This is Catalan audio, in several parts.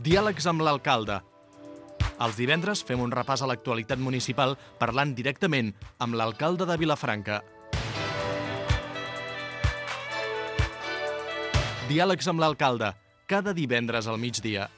Diàlegs amb l'alcalde. Els divendres fem un repàs a l'actualitat municipal parlant directament amb l'alcalde de Vilafranca. Diàlegs amb l'alcalde, cada divendres al migdia.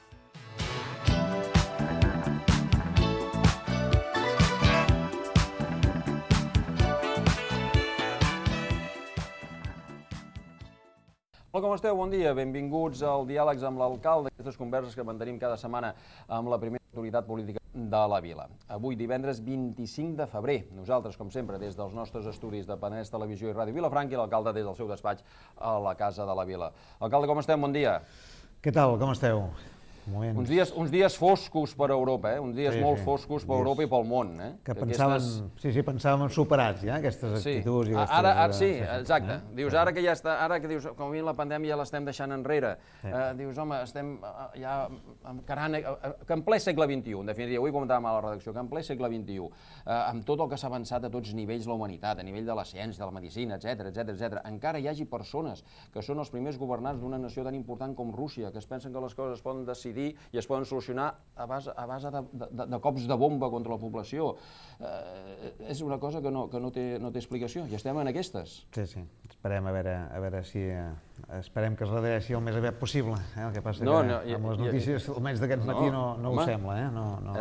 Hola, com esteu? Bon dia. Benvinguts al Diàlegs amb l'alcalde, aquestes converses que mantenim cada setmana amb la primera autoritat política de la vila. Avui, divendres 25 de febrer, nosaltres, com sempre, des dels nostres estudis de Penedès Televisió i Ràdio Vilafranca i l'alcalde des del seu despatx a la Casa de la Vila. Alcalde, com estem? Bon dia. Què tal? Com esteu? Uns dies foscos per Europa, uns dies molt foscos per Europa i pel món. Que pensàvem superats, ja, aquestes actituds. Sí, exacte. Dius, ara que ja està, ara que dius, com a mínim la pandèmia ja l'estem deixant enrere, dius, home, estem ja encarant, que en ple segle XXI, en definitiva, avui comentàvem a la redacció, que en ple segle XXI, amb tot el que s'ha avançat a tots nivells la humanitat, a nivell de la ciència, de la medicina, etc., encara hi hagi persones que són els primers governants d'una nació tan important com Rússia, que es pensen que les coses es poden decidir i es poden solucionar a base de cops de bomba contra la població. És una cosa que no té explicació, i estem en aquestes. Sí. Esperem a veure si... Esperem que es redreci el més aviat possible. El que passa que amb les notícies, almenys d'aquest matí, no ho sembla.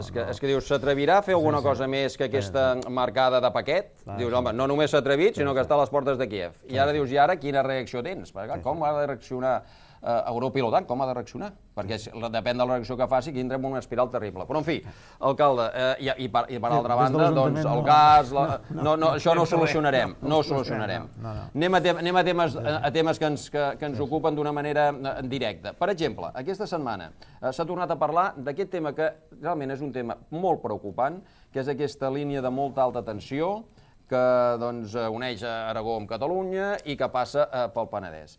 És que dius, s'atrevirà a fer alguna cosa més que aquesta marcada de paquet? Dius, home, no només s'ha atrevit, sinó que està a les portes de Kíev. I ara dius, i ara quina reacció tens? Com ha de reaccionar Europa i l'OTAN, com ha de reaccionar? Perquè depèn de la reacció que faci, aquí entrem en una espiral terrible. Però, en fi, alcalde, i per altra banda, doncs, el gas... Això no ho solucionarem, no ho solucionarem. Anem a temes que ens ocupen d'una manera directa. Per exemple, aquesta setmana s'ha tornat a parlar d'aquest tema que realment és un tema molt preocupant, que és aquesta línia de molta alta tensió que uneix Aragó amb Catalunya i que passa pel Penedès.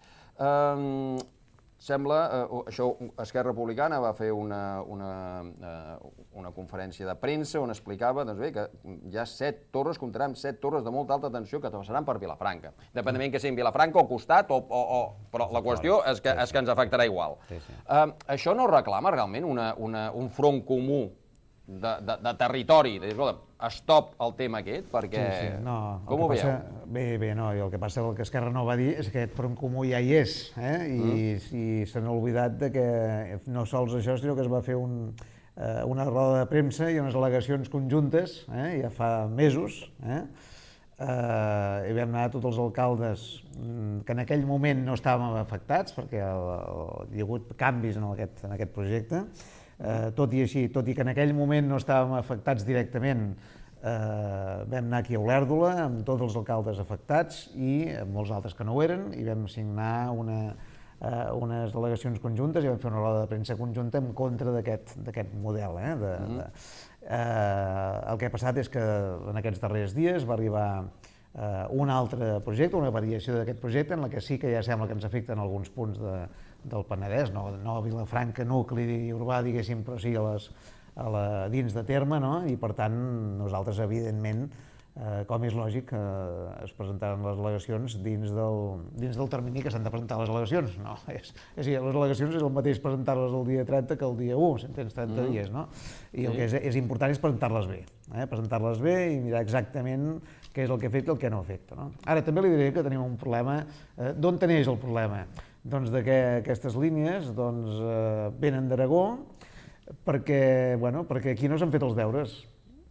Sembla, això, Esquerra Republicana va fer una conferència de premsa on explicava que hi ha 7 torres, comptarem 7 torres de molta alta tensió que passaran per Vilafranca. Independentment que siguin Vilafranca o costat, però la qüestió és que ens afectarà igual. Això no reclama realment un front comú de territori, de dir, escolta, stop el tema aquest, perquè... Com ho veieu? Bé, no, i el que passa, el que Esquerra no va dir és que aquest front comú ja hi és, i se n'ha oblidat que no sols això, sinó que es va fer una roda de premsa i unes al·legacions conjuntes, ja fa mesos, i vam anar tots els alcaldes que en aquell moment no estàvem afectats, perquè hi ha hagut canvis en aquest projecte. Tot i així, tot i que en aquell moment no estàvem afectats directament, vam anar aquí a Olèrdola amb tots els alcaldes afectats i amb molts altres que no ho eren, i vam signar unes delegacions conjuntes i vam fer una roda de premsa conjunta en contra d'aquest model. El que ha passat és que en aquests darrers dies va arribar un altre projecte, una variació d'aquest projecte, en la que sí que ja sembla que ens afecten alguns punts del Penedès, no a Vilafranca, nucli urbà, diguéssim, però sí dins de terme, i per tant nosaltres, evidentment, com és lògic, es presentaran les al·legacions dins del termini que s'han de presentar les al·legacions. És a dir, les al·legacions és el mateix presentar-les el dia 30 que el dia 1, tens 30 dies, i el que és important és presentar-les bé, i mirar exactament què és el que afecta i el que no afecta. Ara, també li diré que tenim un problema. D'on neix el problema? Doncs que aquestes línies venen d'Aragó perquè aquí no s'han fet els deures.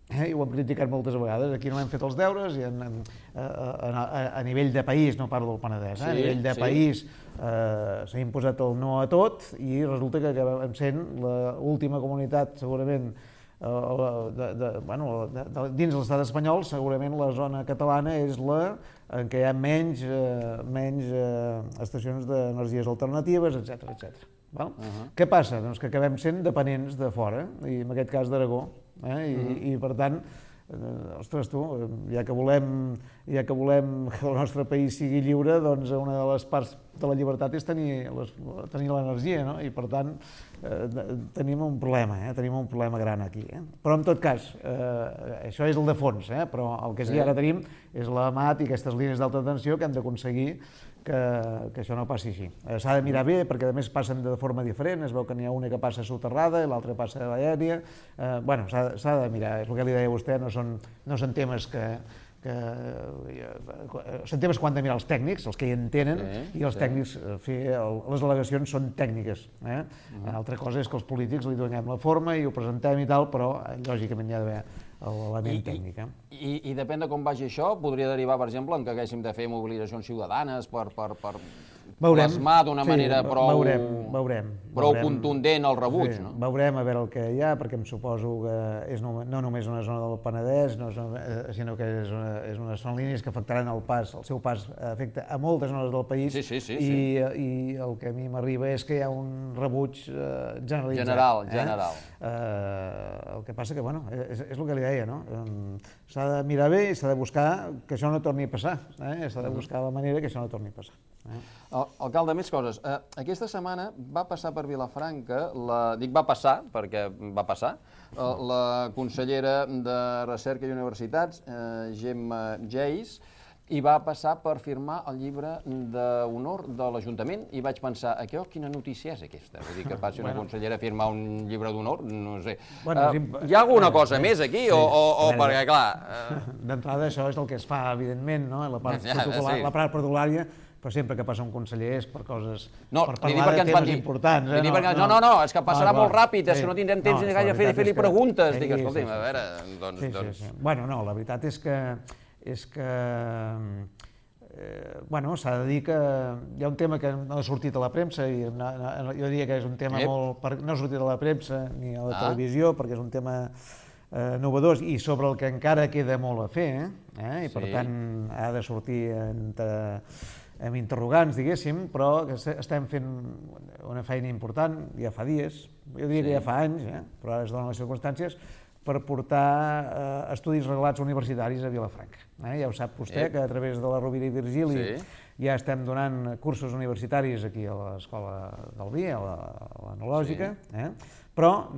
I ho hem criticat moltes vegades, aquí no hem fet els deures, i a nivell de país, no parlo del Penedès, a nivell de país s'ha imposat el no a tot i resulta que acabem sent l'última comunitat, segurament, dins l'estat espanyol, segurament la zona catalana és la en què hi ha menys estacions d'energies alternatives, etc. Què passa? Doncs que acabem sent dependents de fora, i en aquest cas d'Aragó, i per tant, ostres tu, ja que volem que el nostre país sigui lliure, doncs una de les parts de la llibertat és tenir l'energia, i per tant tenim un problema gran aquí. Però en tot cas, això és el de fons, però el que sí ara tenim és l'AMAT i aquestes línies d'alta tensió que hem d'aconseguir que això no passi així. S'ha de mirar bé, perquè a més passen de forma diferent, es veu que n'hi ha una que passa soterrada i l'altra passa a l'aèria. Bueno, s'ha de mirar, és el que li deia a vostè, no són temes són temes que han de mirar els tècnics, els que hi entenen, i els tècnics les al·legacions són tècniques. Altra cosa és que els polítics li donem la forma i ho presentem i tal, però lògicament hi ha d'haver l'element tècnic. I depèn de com vagi això, podria derivar, per exemple, en que haguéssim de fer mobilitzacions ciutadanes per plasmar d'una manera prou contundent el rebuig. Veurem a veure el que hi ha, perquè em suposo que és no només una zona del Penedès, sinó que són línies que afectaran el seu pas afecta a moltes zones del país, i el que a mi m'arriba és que hi ha un rebuig generalitzat. General. El que passa que, bueno, és el que li deia, no? S'ha de mirar bé i s'ha de buscar que això no torni a passar, s'ha de buscar la manera que això no torni a passar. Alcalde, més coses. Aquesta setmana va passar per Vilafranca, dic va passar perquè va passar, la consellera de Recerca i Universitats, Gemma Geis, i va passar per firmar el llibre d'honor de l'Ajuntament i vaig pensar, quina notícia és aquesta? Vull dir que passi una consellera a firmar un llibre d'honor, no sé. Hi ha alguna cosa més aquí? O perquè, clar... D'entrada, això és el que es fa, evidentment, la part protocol·lària, però sempre que passa un conseller és per coses... per parlar de temes importants. No, és que passarà molt ràpid, és que no tindrem temps ni gaire de fer-li preguntes. Dic, escolti'm, a veure, doncs... Bueno, no, la veritat és que s'ha de dir que hi ha un tema que no ha sortit a la premsa, i jo diria que és un tema no ha sortit a la premsa ni a la televisió, perquè és un tema novedós i sobre el que encara queda molt a fer, i per tant ha de sortir amb interrogants, diguéssim, però estem fent una feina important, ja fa dies, jo diria que ja fa anys, però ara es donen les circumstàncies, per portar estudis reglats universitaris a Vilafranca. Ja ho sap vostè, que a través de la Rovira i Virgili ja estem donant cursos universitaris aquí a l'Escola del Vi, a l'Enològica, però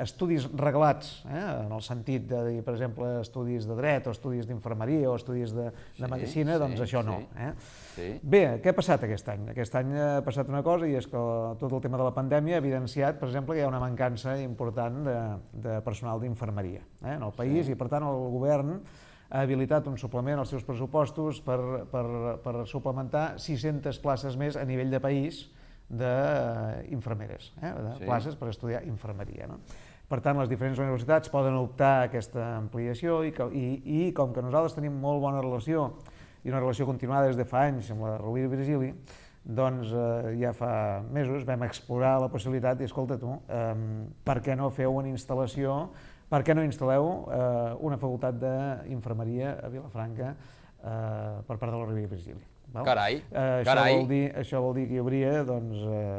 estudis reglats, en el sentit de dir, per exemple, estudis de dret o estudis d'infermeria o estudis de medicina, doncs això no. Bé, què ha passat aquest any? Aquest any ha passat una cosa, i és que tot el tema de la pandèmia ha evidenciat, per exemple, que hi ha una mancança important de personal d'infermeria en el país, i per tant el govern ha habilitat un suplement als seus pressupostos per suplementar 600 places més a nivell de país d'infermeres, de places per estudiar infermeria. Per tant, les diferents universitats poden optar a aquesta ampliació, i com que nosaltres tenim molt bona relació i una relació continuada des de fa anys amb la Rovira i Virgili, doncs ja fa mesos vam explorar la possibilitat, i escolta tu, per què no feu una instal·lació, per què no instal·leu una facultat d'infermeria a Vilafranca per part de la Rovira i Virgili? Carai. Això vol dir que hi hauria,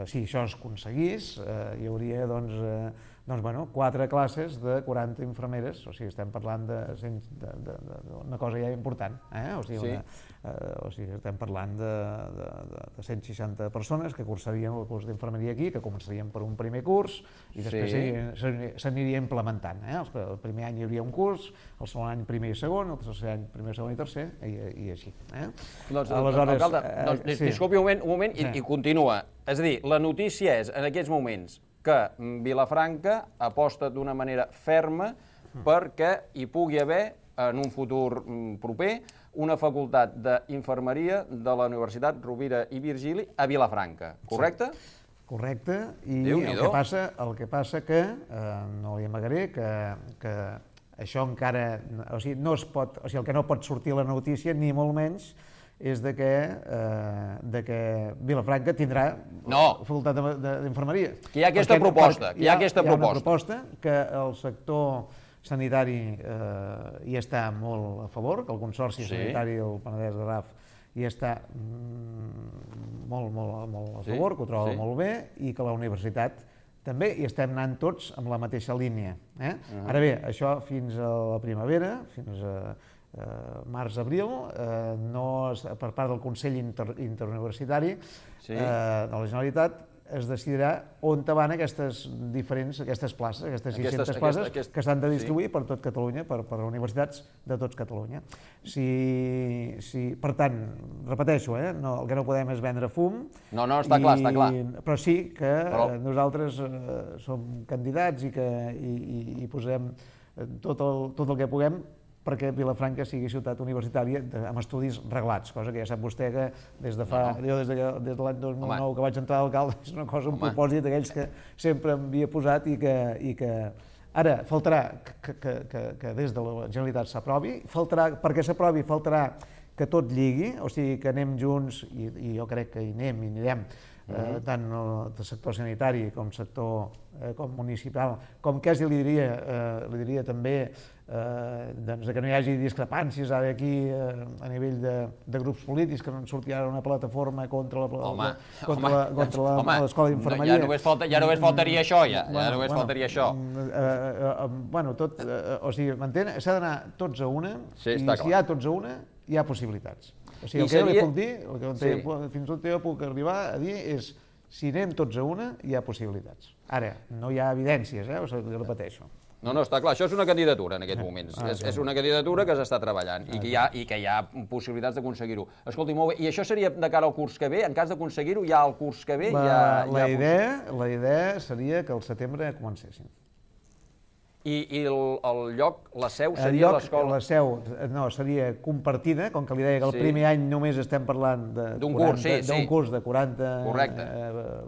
si això es aconseguís, hi hauria 4 classes de 40 infermeres, o sigui, estem parlant d'una cosa ja important, o sigui, estem parlant de 160 persones que cursarien el curs d'infermeria aquí, que començarien per un primer curs i després s'aniria implementant. El primer any hi hauria un curs, el segon any primer i segon, el tercer any primer, segon i tercer, i així. Alcalde, disculpi un moment i continua. És a dir, la notícia és, en aquests moments, que Vilafranca aposta d'una manera ferma perquè hi pugui haver, en un futur proper, una facultat d'infermeria de la Universitat Rovira i Virgili a Vilafranca, correcte? Correcte, i el que passa que, no li amagaré, que això encara, o sigui, el que no pot sortir a la notícia, ni molt menys, és de que Vilafranca tindrà facultat d'infermeria. Que hi ha aquesta proposta. Hi ha una proposta que el sector sanitari hi està molt a favor, que el Consorci Sanitari del Penedès-Garraf hi està molt a favor, que ho troba molt bé, i que la universitat també hi estem anant tots amb la mateixa línia. Ara bé, això fins a la primavera, fins a març-abril, per part del Consell Interuniversitari de la Generalitat, es decidirà on van aquestes places, aquestes 600 places que s'han de distribuir per tot Catalunya, per universitats de tot Catalunya. Per tant, repeteixo, el que no podem és vendre fum. No, està clar. Però sí que nosaltres som candidats i posarem tot el que puguem perquè Vilafranca sigui ciutat universitària amb estudis reglats, cosa que ja sap vostè que des de l'any 2009 que vaig entrar d'alcalde és una cosa, un propòsit d'aquells que sempre m'havia posat i que ara faltarà que des de la Generalitat s'aprovi, perquè s'aprovi faltarà que tot lligui, o sigui que anem junts i jo crec que hi anem i anirem tant el sector sanitari com sector municipal, com quasi li diria també que no hi hagi discrepàncies ara aquí a nivell de grups polítics, que no en surti ara una plataforma contra l'escola d'infermeria. Ja només faltaria això, Bueno, tot, o sigui, m'entén? S'ha d'anar tots a una, i si hi ha tots a una, hi ha possibilitats. O sigui, el que jo li puc dir, fins on jo puc arribar a dir és si anem tots a una, hi ha possibilitats. Ara, no hi ha evidències, o sigui, repeteixo. No, està clar, això és una candidatura en aquests moments, és una candidatura que s'està treballant i que hi ha possibilitats d'aconseguir-ho. Escolti, molt bé, i això seria de cara al curs que ve? En cas d'aconseguir-ho, ja al curs que ve? La idea seria que al setembre comencéssim. I el lloc, la seu, seria l'escola? La seu, no, seria compartida, com que li deia que el primer any només estem parlant d'un curs de 40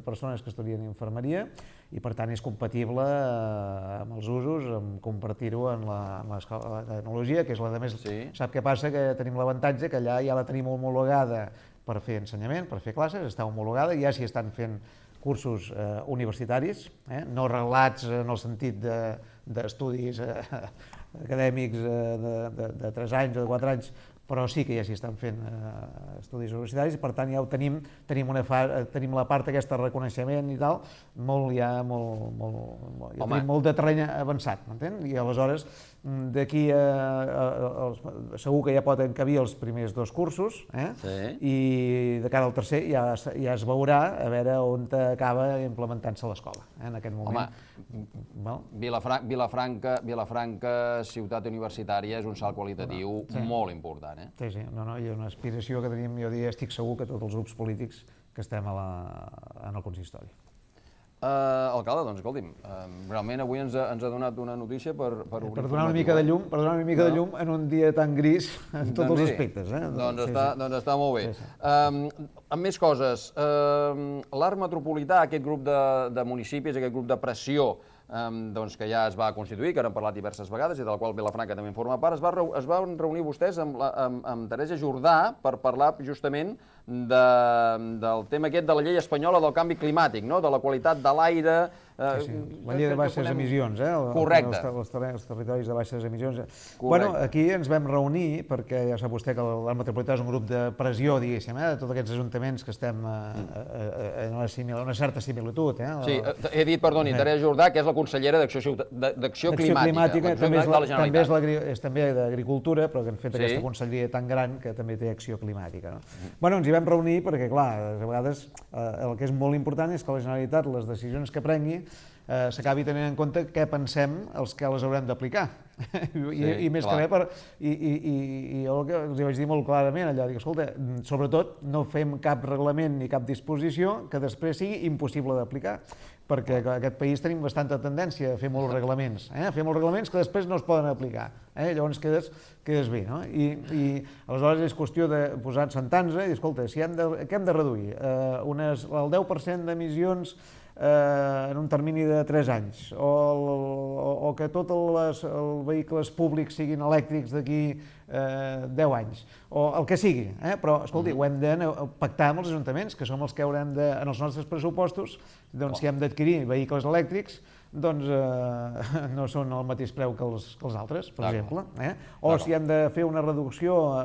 persones que estudien infermeria, i per tant és compatible amb els usos, amb compartir-ho en l'escola de tecnologia, que és la de més... Sap què passa? Que tenim l'avantatge que allà ja la tenim homologada per fer ensenyament, per fer classes, està homologada, ja s'hi estan fent cursos universitaris, no reglats en el sentit d'estudis acadèmics de 3 anys o de 4 anys, però sí que ja s'hi estan fent estudis universitaris, i per tant ja ho tenim la part aquesta de reconeixement i tal, tenim molt de terreny avançat, m'entén? I aleshores d'aquí segur que ja poden encabir els primers 2 cursos, i de cara al tercer ja es veurà a veure on acaba implementant-se l'escola en aquest moment. Vilafranca, ciutat universitària, és un salt qualitatiu molt important. Sí, i una aspiració que tenim, jo diria, estic segur que tots els grups polítics que estem en el consistori. Alcalde, doncs escolti'm, realment avui ens ha donat una notícia per obrir... Per donar una mica de llum en un dia tan gris en tots els aspectes. Doncs està molt bé. Amb més coses, l'Arc Metropolità, aquest grup de municipis, aquest grup de pressió que ja es va constituir, que n'hem parlat diverses vegades i del qual Vilafranca també en forma part, es van reunir vostès amb Teresa Jordà per parlar justament del tema aquest de la llei espanyola del canvi climàtic, de la qualitat de l'aire... La llei de baixes emissions, correcte. Els territoris de baixes emissions. Bueno, aquí ens vam reunir perquè ja sap vostè que l'Arc Metropolità és un grup de pressió, diguéssim, de tots aquests ajuntaments que estem en una certa similitud. Sí, he dit, perdoni, Teresa Jordà, que és la consellera d'Acció Climàtica de la Generalitat. És també d'Agricultura, però que han fet aquesta conselleria tan gran que també té Acció Climàtica. Bueno, ens hi vam reunir perquè, clar, a vegades el que és molt important és que la Generalitat, les decisions que prengui, s'acabi tenint en compte què pensem els que les haurem d'aplicar. I més que res, i jo el que els vaig dir molt clarament allà, dic, escolta, sobretot no fem cap reglament ni cap disposició que després sigui impossible d'aplicar, perquè en aquest país tenim bastanta tendència a fer molts reglaments, a fer molts reglaments que després no es poden aplicar, llavors quedes bé, no? I aleshores és qüestió de posar sentant-nos i dir, escolta, què hem de reduir? El 10% d'emissions en un termini de 3 anys, o que tots els vehicles públics siguin elèctrics d'aquí 10 anys, o el que sigui, però, escolti, ho hem de pactar amb els ajuntaments, que som els que haurem de, en els nostres pressupostos, doncs si hem d'adquirir vehicles elèctrics, doncs no són al mateix preu que els altres, per exemple, o si hem de fer una reducció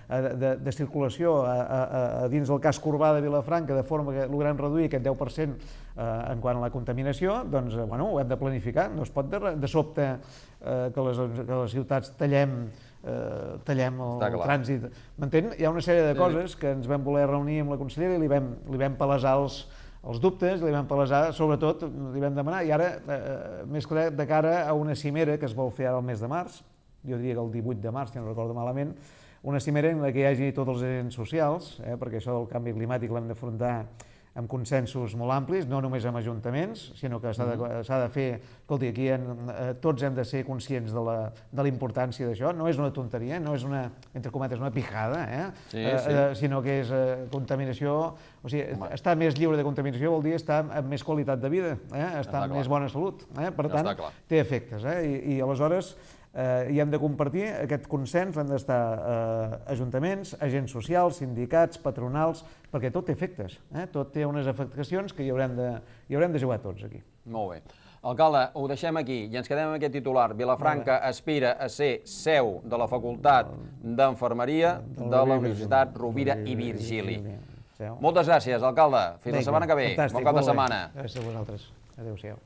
de circulació a dins del casc urbà de Vilafranca, de forma que logrem reduir aquest 10% en quant a la contaminació, doncs ho hem de planificar, no es pot de sobte que les ciutats tallem el trànsit. M'entén? Hi ha una sèrie de coses que ens vam voler reunir amb la consellera i li vam palesar els dubtes, li vam palesar, sobretot li vam demanar, i ara, més clar, de cara a una cimera que es vol fer ara al mes de març, jo diria que el 18 de març, si no recordo malament, una cimera en la que hi hagi tots els agents socials, perquè això del canvi climàtic l'hem d'afrontar amb consensos molt amplis, no només amb ajuntaments, sinó que s'ha de fer, escolti, aquí tots hem de ser conscients de la importància d'això, no és una tonteria, no és una, entre cometes, una pijada, sinó que és contaminació, o sigui, estar més lliure de contaminació vol dir estar amb més qualitat de vida, estar amb més bona salut, per tant, té efectes, i aleshores i hem de compartir aquest consens, hem d'estar ajuntaments, agents socials, sindicats, patronals, perquè tot té efectes, tot té unes afectacions que hi haurem de jugar tots aquí. Molt bé. Alcalde, ho deixem aquí i ens quedem amb aquest titular. Vilafranca aspira a ser seu de la Facultat d'Enfermeria de la Universitat Rovira i Virgili. Moltes gràcies, alcalde. Fins la setmana que ve. Bon cap de setmana. Gràcies a vosaltres. Adéu-siau.